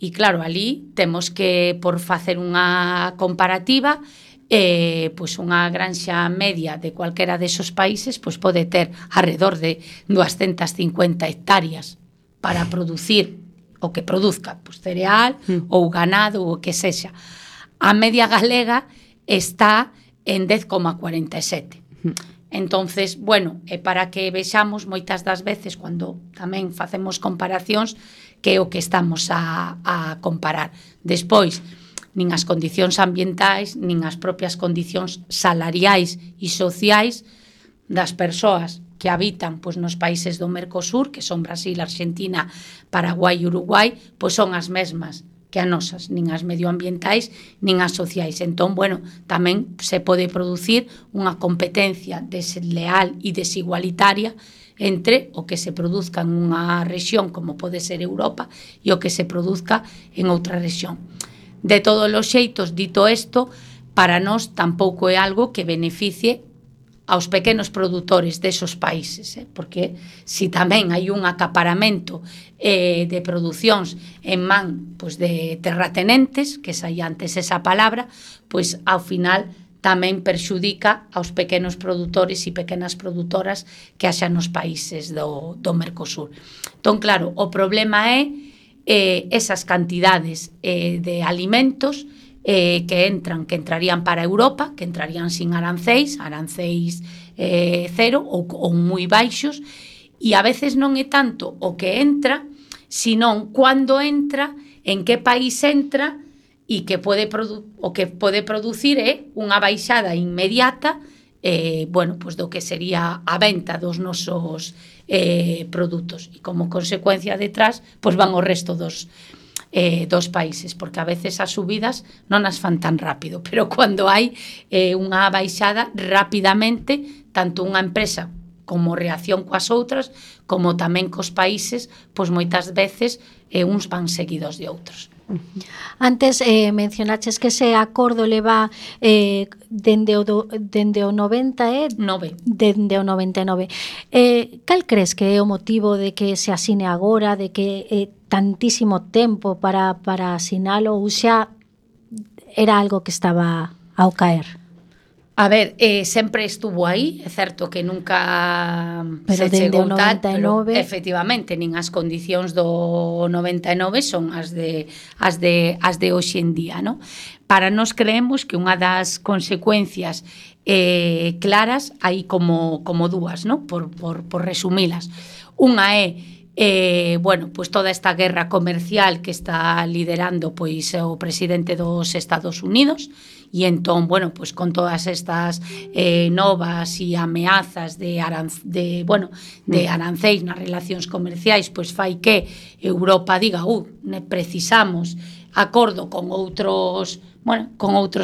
e claro, ali temos que, por facer unha comparativa, pois unha granxa media de cualquera desos países pois pode ter alrededor de 250 hectáreas para producir o que produzca, pois cereal ou ganado ou o que sexa. A media galega está en 10,47. Entonces, bueno, para que vexamos moitas das veces cando tamén facemos comparacións que é o que estamos a comparar. Despois, nin as condicións ambientais, nin as propias condicións salariais e sociais das persoas que habitan pois nos países do Mercosur, que son Brasil, Argentina, Paraguai e Uruguai, pois son as mesmas que as nosas, nin as medioambientais, nin as sociais. Entón, bueno, tamén se pode producir unha competencia desleal e desigualitaria entre o que se produzca en unha rexión como pode ser Europa e o que se produzca en outra rexión. De todos os xeitos, dito isto, para nós tampouco é algo que beneficie aos pequenos produtores desos países, porque si tamén hai un acaparamento de producións en man pois, de terratenentes, que saía antes esa palabra, pois ao final tamén perxudica aos pequenos produtores e pequenas produtoras que haxa nos países do Mercosur. Entón, claro, o problema é esas cantidades de alimentos que entrarían para Europa, que entrarían sin arancéis cero ou moi baixos, e a veces non é tanto o que entra, senón cando entra, en que país entra, e que o que pode producir é unha baixada inmediata bueno, pues do que sería a venta dos nosos produtos, e como consecuencia detrás pues van o resto dos países, porque a veces as subidas non as fan tan rápido, pero cando hai unha baixada rapidamente, tanto unha empresa como reacción coas outras, como tamén cos países, pois moitas veces uns van seguidos de outros. Antes mencionaches que ese acordo leva dende o 99. Dende o 99. Cal crees que é o motivo de que se asine agora, de que tantísimo tempo para asinalo, ou xa era algo que estaba ao caer? A ver, sempre estuvo aí, é certo que nunca pero se chegou tal, pero efectivamente, nin as condicións do 99 son as de hoxe en día, ¿no? Para nós creemos que unha das consecuencias claras hai como dúas, ¿no? Por resumilas. Unha é bueno, pues toda esta guerra comercial que está liderando pois o presidente dos Estados Unidos, e entón, bueno, pues con todas estas novas e ameazas de arancéis nas relacións comerciais, pois fai que Europa diga, precisamos acordo con outros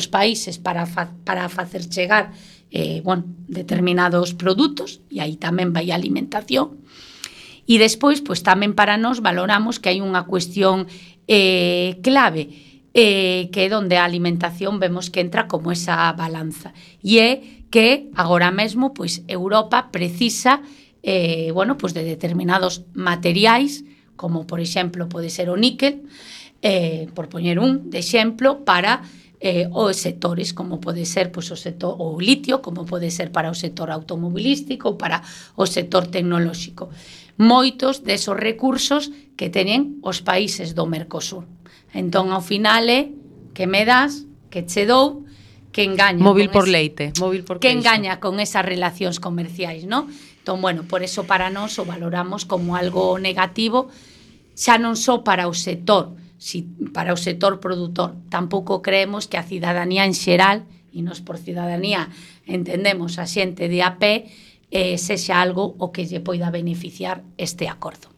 países para facer chegar determinados produtos, e aí tamén vai a alimentación. E despois, pois tamén para nós valoramos que hai unha cuestión clave, que é onde a alimentación vemos que entra como esa balanza, e é que agora mesmo pois Europa precisa pues de determinados materiais, como por exemplo pode ser o níquel, por poñer un de exemplo, para os sectores, como pode ser pois, o sector o litio, como pode ser para o sector automobilístico ou para o sector tecnolóxico. Moitos desos recursos que teñen os países do Mercosur. Entón, ao final é que me das, que che dou, que engaña móvil por leite, móvil por que queixo. Engaña con esas relacións comerciais, ¿no? Entón, bueno, por eso para nós o valoramos como algo negativo, xa non só para o sector, para o sector produtor. Tampouco creemos que a cidadanía en xeral, e nos por cidadanía entendemos a xente de a pé, sexa algo o que lle poida beneficiar este acordo.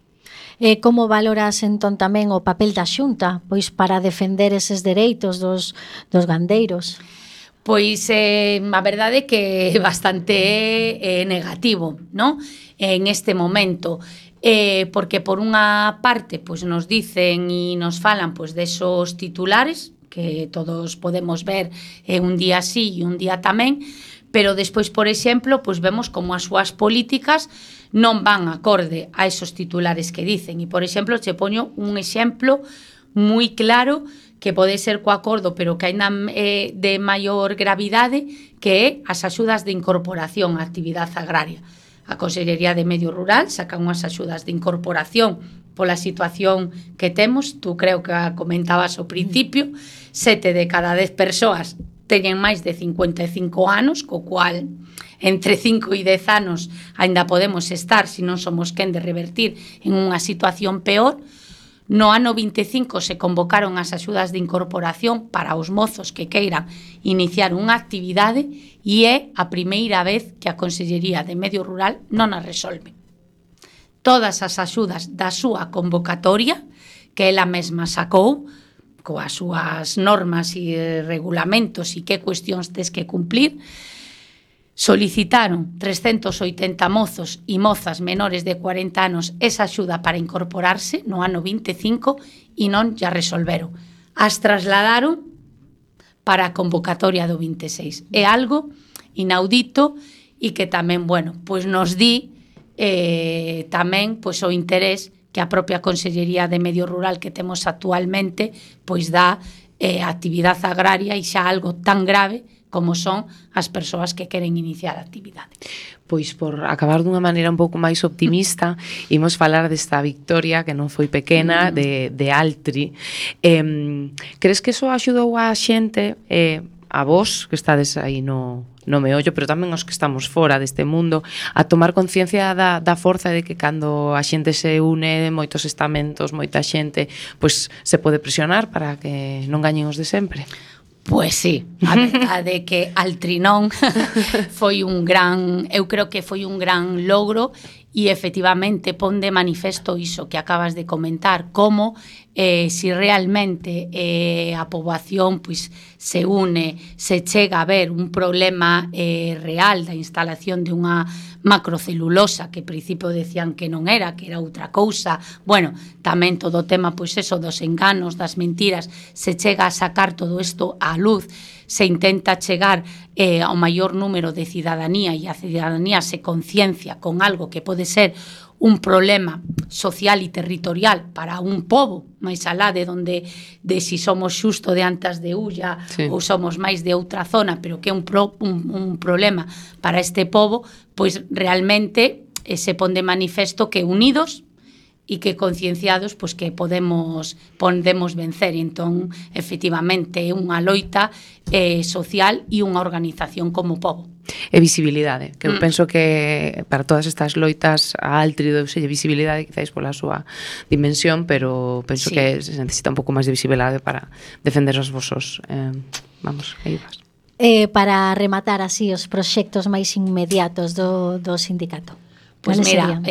Como valoras entón tamén o papel da Xunta pois para defender eses dereitos dos gandeiros? Pois a verdade é que é bastante negativo, ¿no? En este momento, porque por unha parte pois nos dicen e nos falan pois desos titulares que todos podemos ver un día sí e un día tamén, pero despois, por exemplo, pois vemos como as súas políticas non van acorde a esos titulares que dicen. E, por exemplo, che poño un exemplo moi claro que pode ser co acordo, pero que ainda de maior gravidade, que é as axudas de incorporación á actividade agraria. A Consellería de Medio Rural saca unhas axudas de incorporación pola situación que temos. Tú creo que comentabas ao principio, 7 de cada 10 persoas teñen máis de 55 anos, co cual entre 5 e 10 anos aínda podemos estar, se non somos quen de revertir, en unha situación peor. No ano 25 se convocaron as axudas de incorporación para os mozos que queiran iniciar unha actividade e é a primeira vez que a Consellería de Medio Rural non a resolve. Todas as axudas da súa convocatoria, que ela mesma sacou, coas súas normas e regulamentos e que cuestións tes que cumplir, solicitaron 380 mozos e mozas menores de 40 anos esa axuda para incorporarse no ano 25 e non ya resolveron. As trasladaron para a convocatoria do 26. É algo inaudito e que tamén, bueno, pois nos di tamén pois o interés que a propia Consellería de Medio Rural que temos actualmente pois dá a actividade agraria e xa algo tan grave como son as persoas que queren iniciar a actividade. Pois por acabar dunha maneira un pouco máis optimista, imos falar desta victoria que non foi pequena de Altri. Crees que iso axudou a xente, a vos que estades aí no meollo, pero tamén os que estamos fora deste mundo, a tomar conciencia da forza de que cando a xente se une, moitos estamentos, moita xente, pois se pode presionar para que non gañen os de sempre? Pois sí, a verdade é que Altrinón foi un gran, eu creo que foi un gran logro e efectivamente pon de manifesto iso que acabas de comentar, como si realmente a poboación pois se une, se chega a ver un problema real da instalación de unha macrocelulosa que ao principio decían que non era, que era outra cousa. Bueno, tamén todo o tema pois eso dos enganos, das mentiras, se chega a sacar todo isto á luz, se intenta chegar ao maior número de cidadanía e a cidadanía se conciencia con algo que pode ser un problema social e territorial para un pobo, máis alá de onde si somos xusto de Antas de Ulla ou somos máis de outra zona, pero que é un problema para este pobo, pois realmente se pon de manifesto que unidos e que concienciados pois que podemos vencer. Entón, efectivamente, é unha loita social e unha organización como pobo. E visibilidade, que eu penso que para todas estas loitas a Altri douselle visibilidade quizáis pola súa dimensión, pero penso que se necesita un pouco máis de visibilidade para defender os vosos vamos, aí vas. Para rematar así os proxectos máis inmediatos do sindicato. Pois mira,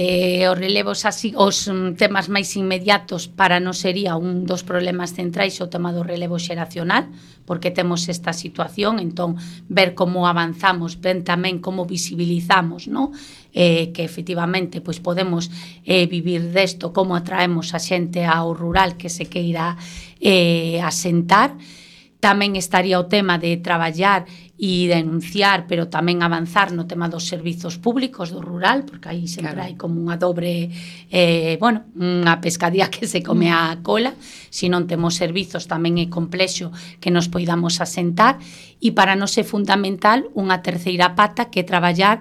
os relevos así, os temas máis inmediatos para nós sería un dos problemas centrais o tema do relevo xeracional, porque temos esta situación, entón ver como avanzamos, ver tamén como visibilizamos, ¿no? Que efectivamente pois podemos vivir desto, como atraemos a xente ao rural que se queira asentar. Tamén estaría o tema de traballar e denunciar, pero tamén avanzar no tema dos servizos públicos do rural, porque aí sempre hai como unha dobre, unha pescadilla que se come a cola. Se non temos servizos tamén é complexo que nos poidamos asentar, e para nós é fundamental unha terceira pata que é traballar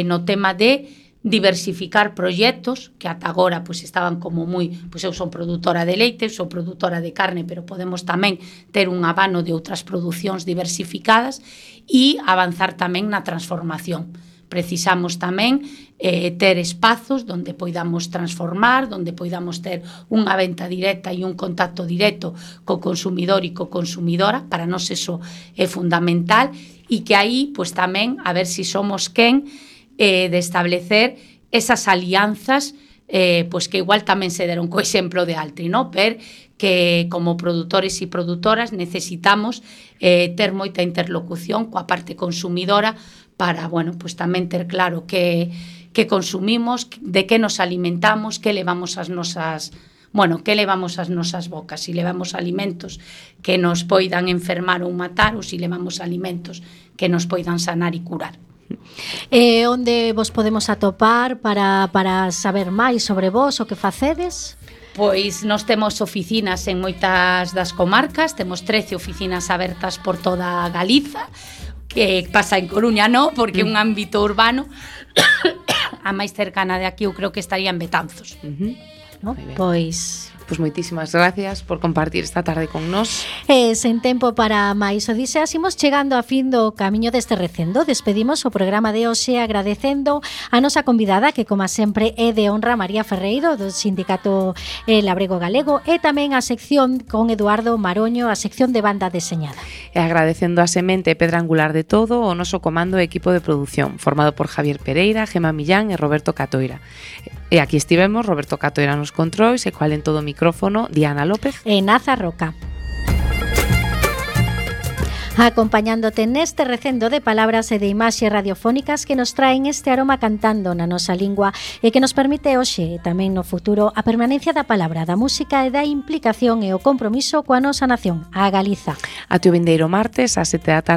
no tema de diversificar proxectos que ata agora pois estaban como moi, pois eu son produtora de leite, sou produtora de carne, pero podemos tamén ter un abano de outras producións diversificadas e avanzar tamén na transformación. Precisamos tamén ter espazos onde poidamos transformar, onde poidamos ter unha venta directa e un contacto directo co consumidor e co consumidora. Para nós eso é fundamental e que aí pois tamén a ver se somos quen de establecer esas alianzas pois que igual tamén se deron co exemplo de Altri, ¿no? Ver que como produtores e produtoras necesitamos ter moita interlocución coa parte consumidora para, bueno, pois tamén ter claro que consumimos, de que nos alimentamos, que levamos as nosas bocas, se levamos alimentos que nos poidan enfermar ou matar ou se levamos alimentos que nos poidan sanar e curar. Onde vos podemos atopar para saber máis sobre vos, o que facedes? Pois nós temos oficinas en moitas das comarcas, temos 13 oficinas abertas por toda Galiza, que pasa en Coruña, non, porque é un ámbito urbano. A máis cercana de aquí eu creo que estaría en Betanzos. ¿no? Moi ben. Pois moitísimas gracias por compartir esta tarde con nós. sen tempo para máis odiseas, imos chegando a fin do camiño deste recendo. Despedimos o programa de hoxe agradecendo a nosa convidada, que como sempre é de honra, María Ferreiro, do Sindicato Labrego Galego, e tamén a sección con Eduardo Maroño, a sección de banda deseñada. E agradecendo a semente e pedra angular de todo o noso comando e equipo de produción, formado por Javier Pereira, Gema Millán e Roberto Catoira. E aquí estivemos, Roberto Catoira nos controis, e cual en todo o micrófono, Diana López e Naza Roca. Acompañándote neste recendo de palabras e de imaxes radiofónicas que nos traen este aroma cantando na nosa lingua e que nos permite hoxe e tamén no futuro a permanencia da palabra, da música e da implicación e o compromiso coa nosa nación, a Galiza. Até o vindeiro martes, ás 7 da tarde.